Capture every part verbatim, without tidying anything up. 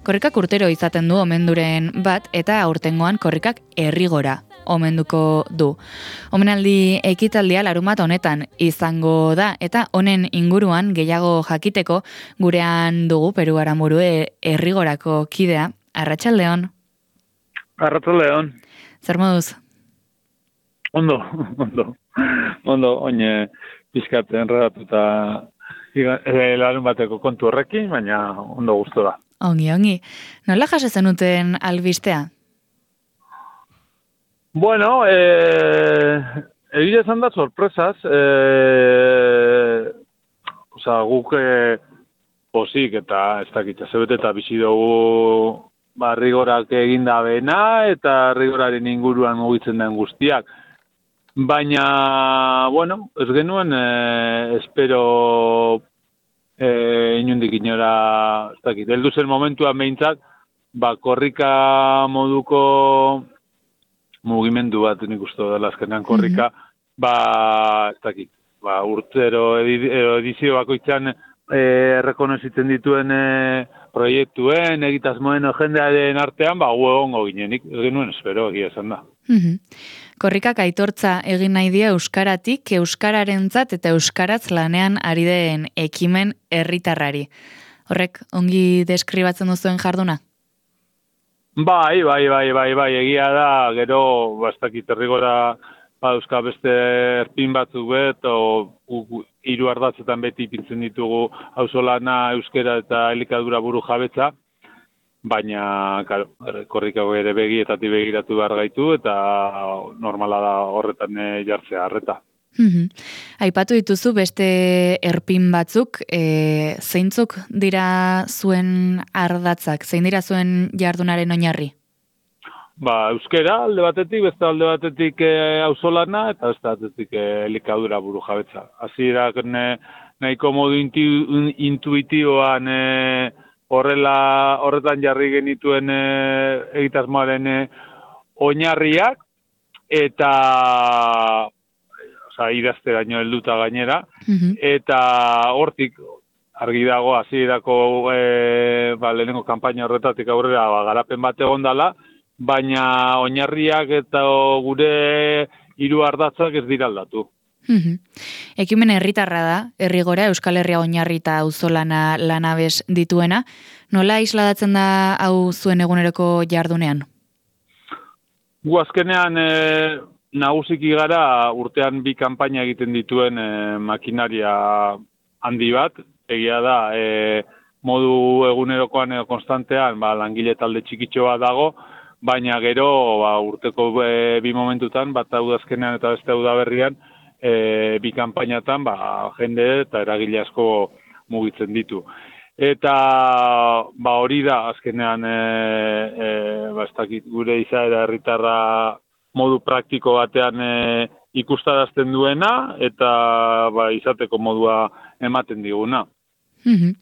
Korrikak urtero izaten du omenduren bat eta aurtengoan korrikak herrigora omenduko du. Omenaldi ekitaldia larunbat honetan izango da eta honen inguruan gehiago jakiteko gurean dugu Peru Aranburu herrigorako kidea. Arratsaldeon. Arratsaldeon. Zer moduz? Ondo, ondo. Ondo, oine pizkat enredatuta larun bateko kontu horrekin, baina ondo gustu da. Ongi, ongi. Nola jase zenuten albistea? Bueno, eh, egia esan da sorpresaz. Eh, Osa, guk eh, posik eta ez dakit, zebet eta bizi dugu ba, rigorak eginda bena eta rigoraren inguruan mugitzen den guztiak. Baina, bueno, ez genuen, eh, espero eh, inundik inora, ez dakit, heldu zen momentuan behintzat, ba, korrika moduko mugimendu bat nik uste dela azkenean korrika, mm-hmm. ba, ez dakit, ba, urtero edizio bakoitzan eh, rekonozitzen dituen eh, proiektuen, egitasmoen jendearen artean, ba, gu egongo ginenik, ez genuen espero, egia esan da. Mm-hmm. Korrikak aitortza egin nahi die euskaratik, euskararentzat eta euskaraz lanean ari den ekimen herritarrari. Horrek ongi deskribatzen duzuen jarduna? Bai, bai, bai, bai, bai, egia da, gero, bastakit herrigora euska beste erpin batzuk bet, o hiru ardatzetan beti ipintzen ditugu auzolana, euskera eta elikadura buru jabetza, baina, claro, korrikago ere begietatik begiratu behar gaitu, eta normala da horretan jartzea harreta. Mm-hmm. Aipatu dituzu beste erpin batzuk, e, zeintzuk dira zuen ardatzak, zein dira zuen jardunaren oinarri? Ba, euskera alde batetik, beste alde batetik e, auzolana, eta beste batetik e, elikadura buru jabetza. Hasierak nahiko modu intu, intuitiboan e, horrela horretan jarri genituen e, egitasmoaren e, oinarriak, eta oza, idazteraino helduta gainera, mm-hmm. eta hortik argi dago hasierako e, ba, lehenengo kanpaina horretatik aurrera ba, garapen bat egondala, baina oinarriak eta gure hiru ardatzak ez dira aldatu. Mm-hmm. Ekimen herritarra da, herrigora Euskal Herria oinarri eta auzolana lanabes dituena. Nola isladatzen da hau zuen eguneroko jardunean? Gu azkenean e, nagusiki gara urtean bi kanpaina egiten dituen e, makinaria handi bat. Egia da, e, modu egunerokoan edo konstantean ba, langile talde txikitxoa dago, baina gero ba, urteko e, bi momentutan, bat hau da azkenean eta beste hau da berrian, E, bi kanpainatan ba, jende eta eragile asko mugitzen ditu. Eta ba, hori da azkenean e, e, ba, ez dakit, gure izaera herritarra modu praktiko batean e, ikustarazten duena eta ba, izateko modua ematen diguna. Mm-hmm.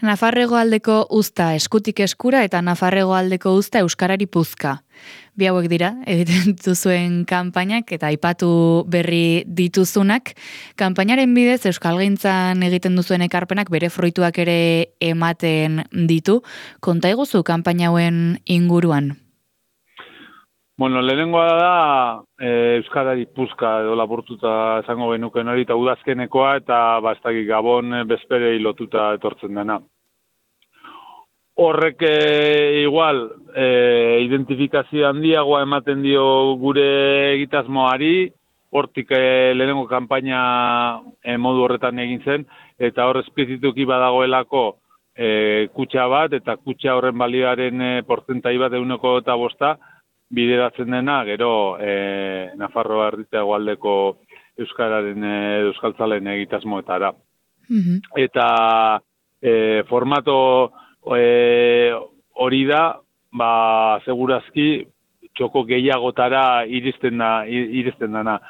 Nafarrego aldeko uzta eskutik eskura eta Nafarrego aldeko uzta euskarari puzka. Bi hauek dira, egiten duzuen kanpainak eta aipatu berri dituzunak. Kanpainaren bidez euskalgintzan egiten duzuen ekarpenak bere fruituak ere ematen ditu. Konta iguzu kanpaina hauen inguruan? Bueno, lehenengoa da e, euskarari puzka edo laburtuta esango genuken hori eta udazkenekoa eta bastakik Gabon bezperei lotuta etortzen dena. Horrek e, igual e, identifikazio handiagoa ematen dio gure egitasmoari, hortik e, lehenengo kanpaina e, modu horretan egin zen, eta hor espezituki badagoelako e, kutxa bat, eta kutxa horren balioaren e, porzentai bat eguneko eta bosta, bideratzen dena, gero e, Nafarroa herrita hegoaldeko euskararen e, euskaltzalen egitasmoetara. Mm-hmm. Eta e, formato e, hori da, ba, segurazki txoko gehiagotara iristen da, iristen dana.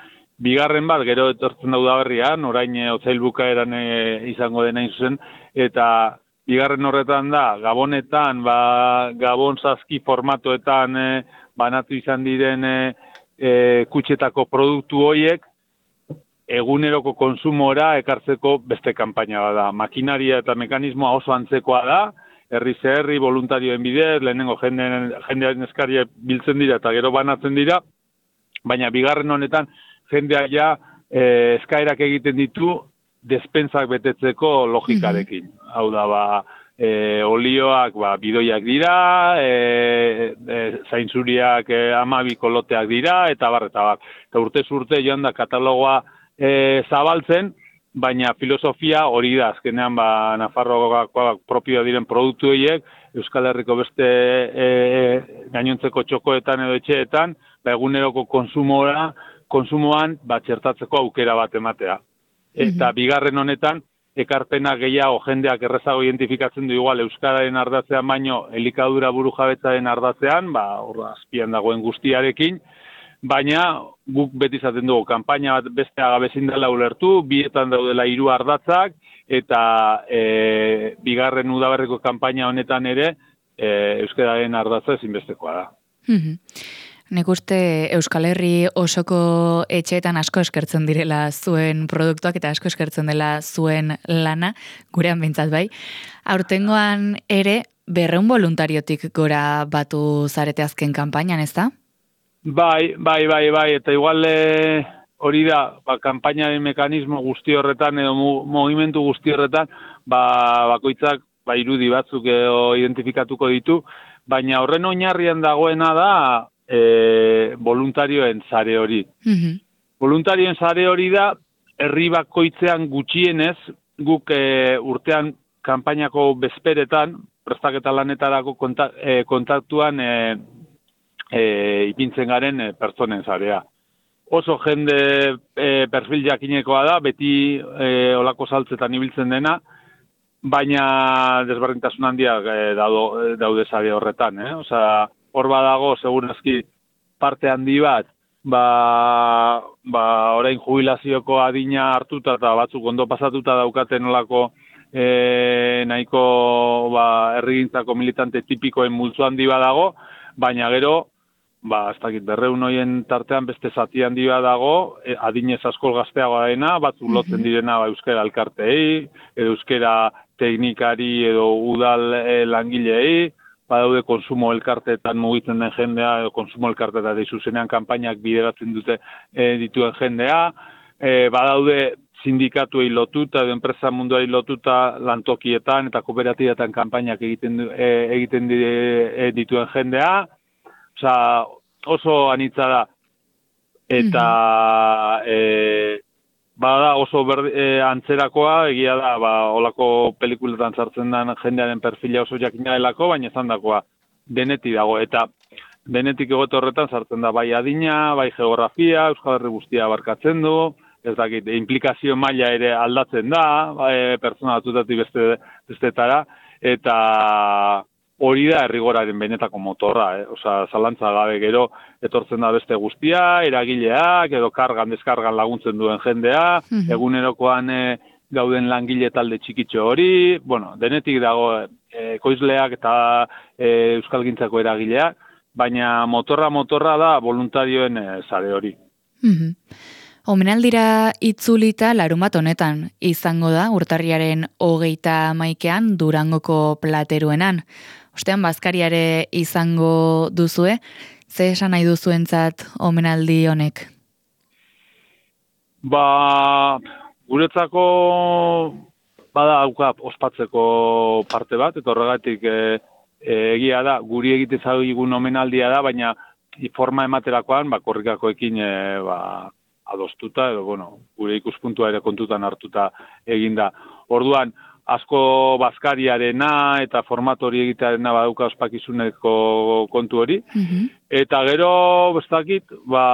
Bigarren bat, gero etortzen dauda berrian, orain e, otsail bukaeran e, izango dena zuzen, eta bigarren horretan da, Gabonetan, ba, Gabon zazki formatoetan e, banatu izan diren e, e, kutxetako produktu horiek eguneroko konsumora ekartzeko beste kanpaina da. Makinaria eta mekanismoa oso antzekoa da, herri herri voluntarioen bidez, lehenengo jendearen, jendearen eskaria biltzen dira eta gero banatzen dira, baina bigarren honetan jendea ja e, eskaerak egiten ditu despensak betetzeko logikarekin. Mm-hmm. Hau da, ba, e, olioak ba, bidoiak dira, e, e, zainzuriak e, amabi koloteak dira, eta bar, eta bar. Eta urtez urte joan da katalogoa e, zabaltzen, baina filosofia hori da, azkenean ba, Nafarroakoak propio diren produktu horiek, Euskal Herriko beste e, gainontzeko txokoetan edo etxeetan, ba, eguneroko konsumora, konsumoan ba, txertatzeko aukera bat ematea. Eta mm-hmm. bigarren honetan, ekarpena gehiago jendeak errezago identifikatzen du igual Euskararen ardatzean baino elikadura burujabetzaren ardatzean, ba, hor azpian dagoen guztiarekin, baina guk beti izaten dugu, kanpaina bat beste agabezin dela ulertu, bietan daudela hiru ardatzak, eta e, bigarren udaberriko kanpaina honetan ere, e, euskararen ardatza ezinbestekoa da. Mm-hmm. Nik uste Euskal Herri osoko etxeetan asko eskertzen direla zuen produktuak eta asko eskertzen dela zuen lana, gurean behintzat bai. Aurtengoan ere, berreun voluntariotik gora batu zarete azken kanpainan, ez da? Bai, bai, bai, bai, eta igual e, hori da, ba, kanpainaren mekanismo guzti horretan edo mu, movimentu guzti horretan, ba, bakoitzak ba, irudi batzuk edo identifikatuko ditu, baina horren oinarrian dagoena da e, voluntarioen sare hori. Mm-hmm. Voluntarioen sare hori da, herri bakoitzean gutxienez, guk e, urtean kanpainako bezperetan, prestaketa lanetarako konta, e, kontaktuan e, E, ipintzen garen e, pertsonen zarea. Oso jende e, perfil jakinekoa da, beti e, olako saltzetan ibiltzen dena, baina desberdintasun handiak e, daude, daude sare horretan. Eh? Osea, hor badago, segurazki parte handi bat, ba, ba, orain jubilazioko adina hartuta eta batzuk ondo pasatuta daukaten olako e, nahiko ba, herrigintzako militante tipikoen multzo handi badago, baina gero, ba, ez dakit, berreun hoien tartean beste zati handi bat dago, e, adinez askol gazteagoa dena, batzuk lotzen direna ba, euskera elkarteei, edo euskera teknikari edo udal e, langilei, badaude konsumo elkarteetan mugitzen den jendea, edo konsumo elkarteetan zuzenean kanpainak bideratzen dute e, dituen jendea, e, badaude sindikatuei lotuta, edo enpresa munduari lotuta lantokietan eta kooperatibatan kanpainak egiten, e, egiten di, e, dituen jendea, Osa, oso anitza da, eta mm-hmm. e, bada oso ber, e, antzerakoa, egia da, ba, olako pelikuletan sartzen den jendearen perfila oso jakina delako, baina ezan dakoa denetik dago, eta denetik egote horretan sartzen da bai adina, bai geografia, Euskal Herri guztia abarkatzen du, ez dakit, implikazio maila ere aldatzen da, bai, pertsona batutatik beste, bestetara, eta hori da errigoraren benetako motorra, eh? Osa, zalantza gabe gero etortzen da beste guztia, eragileak, edo kargan, deskargan laguntzen duen jendea, mm-hmm. egunerokoan e, gauden langile talde txikitxo hori, bueno, denetik dago e, ekoizleak eta e, euskalgintzako eragileak, baina motorra-motorra da voluntarioen e, sare hori. Mm-hmm. Omenaldira itzulita larumat honetan izango da urtarriaren hogeita hamaikean Durangoko plateruenan. Ostean bazkariare izango duzue, ze esan nahi duzuentzat omenaldi honek? Ba, guretzako bada auka ospatzeko parte bat, eta horregatik e, e, egia da, guri egite zaigun omenaldia da, baina forma ematerakoan, ba, korrikakoekin e, ba, adostuta, edo, bueno, gure ikuspuntua ere kontutan hartuta eginda. Orduan, asko bazkariarena eta formatori egitearena badauka ospakizuneko kontu hori. Mm-hmm. Eta gero, bestakit, ba,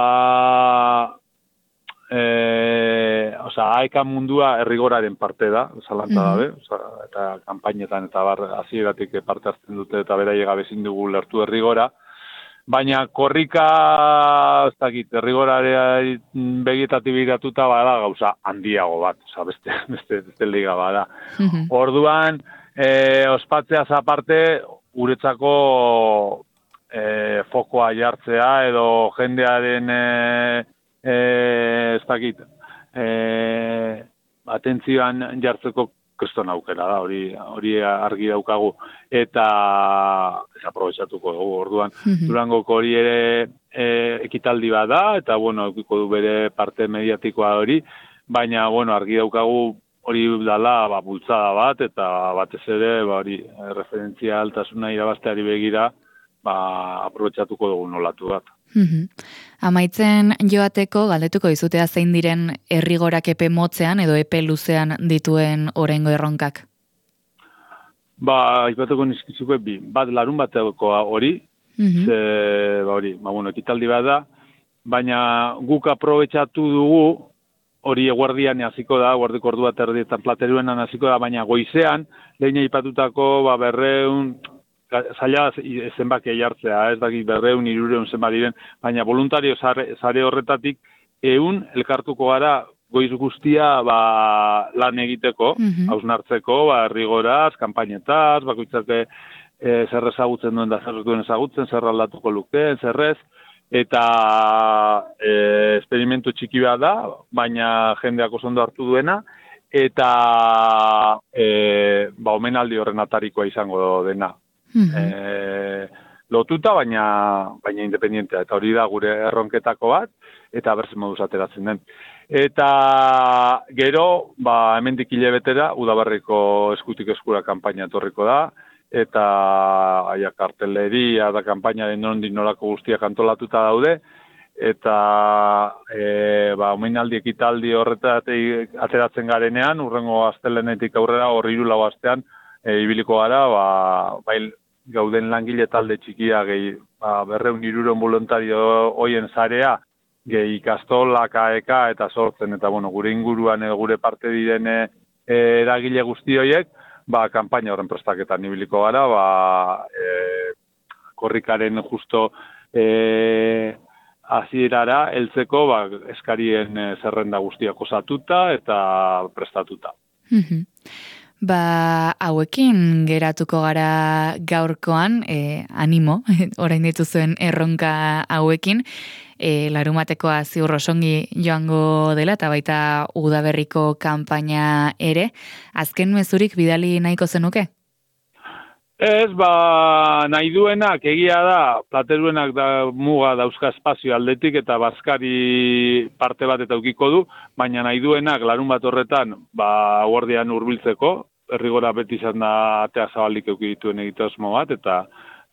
e, oza, aekan mundua errigoraren parte da, zalantza dabe, mm-hmm. oza, eta kanpainetan eta bar, hasieratik parte hartzen dute eta beraie gabezin dugu lertu errigora. Baina korrika, ez dakit, errigorarea begietatik biratuta bada gauza handiago bat, oza, beste, beste, beste liga bada. Mm-hmm. Orduan, e, ospatzeaz aparte, guretzako e, fokoa jartzea, edo jendearen, e, e, ez dakit, e, atentzioan jartzeko kriston aukera da, hori hori argi daukagu, eta ez aprobetxatuko dugu, orduan, Mhm. Durangoko hori ere e, ekitaldi bat da, eta, bueno, eukiko du bere parte mediatikoa hori, baina, bueno, argi daukagu hori dala, ba, bultzada bat, eta batez ere, ba, hori, referentzia altasuna irabazteari begira, ba, aprobetxatuko dugu nolatu bat. Mhm. Amaitzen joateko galdetuko dizutea zein diren errigorak epe motzean edo epe luzean dituen oraingo erronkak. Ba, aipatuko nizkizuko bi, bat larun batekoa hori, Mhm. ze, ba, hori, ba, bueno, ekitaldi bat da, baina guk aprobetxatu dugu, hori eguerdian hasiko da, guardiko ordu bat erdietan plateruenan hasiko da, baina goizean, lehen aipatutako, ba, berreun, zaila zenbakia jartzea, ez dakit berreun, irureun zenbat diren, baina voluntario sare, sare horretatik ehun elkartuko gara goiz guztia ba, lan egiteko, Mhm. hausnartzeko, ba, errigoraz, kanpainetaz, bakoitzak e, zer ezagutzen duen da zer ez duen ezagutzen, zer aldatuko lukeen, zer ez, eta e, esperimentu txiki bat da, baina jendeak oso ondo hartu duena, eta e, ba, omenaldi horren atarikoa izango dena. Mhm. E, lotuta, baina baina independientea, eta hori da gure erronketako bat, eta berzen moduz ateratzen den. Eta gero, ba, hemendik hilabetera, udabarriko eskutik eskura kanpaina etorriko da, eta aia karteleria da kanpainaren nondik norako guztiak antolatuta daude, eta e, ba, omenaldi ekitaldi horretatik ateratzen garenean, urrengo astelenetik aurrera, hor hiru lau astean, e, ibiliko gara, ba, bai, gauden langile talde txikia, gehi, ba, berreun iruron voluntario hoien zarea, gehi ikastola, K E K eta sortzen, eta bueno, gure inguruan, e, gure parte diren e, eragile guzti horiek, ba, kanpaina horren prestaketan ibiliko gara, ba, e, korrikaren justo e, hasierara heltzeko, ba, eskarien e, zerrenda guztiak osatuta eta prestatuta. Mhm. Ba, hauekin geratuko gara gaurkoan, e, animo, orain dituzuen erronka hauekin, e, larumatekoa ziur osongi joango dela, eta baita udaberriko kanpaina ere. Azken mezurik bidali nahiko zenuke? Ez, ba, nahi duenak, egia da, plateruenak da muga dauzka espazio aldetik eta bazkari parte bat eta ukiko du, baina nahi duenak larun bat horretan, ba, guardian hurbiltzeko, errigora beti izan da atea zabalik euki dituen egitasmo bat, eta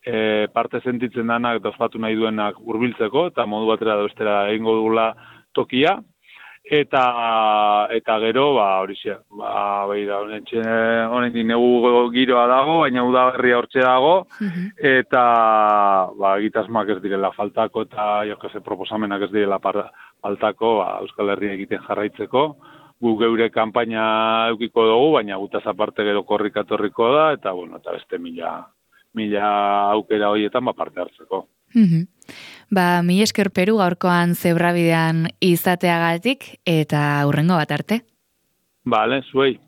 e, parte sentitzen danak eta ospatu nahi duenak hurbiltzeko, eta modu batera da bestera egingo dugula tokia, eta eta gero, ba, hori xe, ba, beira, honetik negu giroa dago, baina udaberria hortxe dago, eta, ba, egitasmoak ez direla faltako, eta, jo, que se proposamenak ez direla faltako, ba, Euskal Herria egiten jarraitzeko, gu geure kanpaina eukiko dugu, baina gutaz aparte gero korrika etorriko da, eta, bueno, eta beste mila, mila aukera horietan, ba, parte hartzeko. Mhm. Ba, mi esker Peru gaurkoan zebrabidean izateagatik eta hurrengo bat arte. Bale, zuei.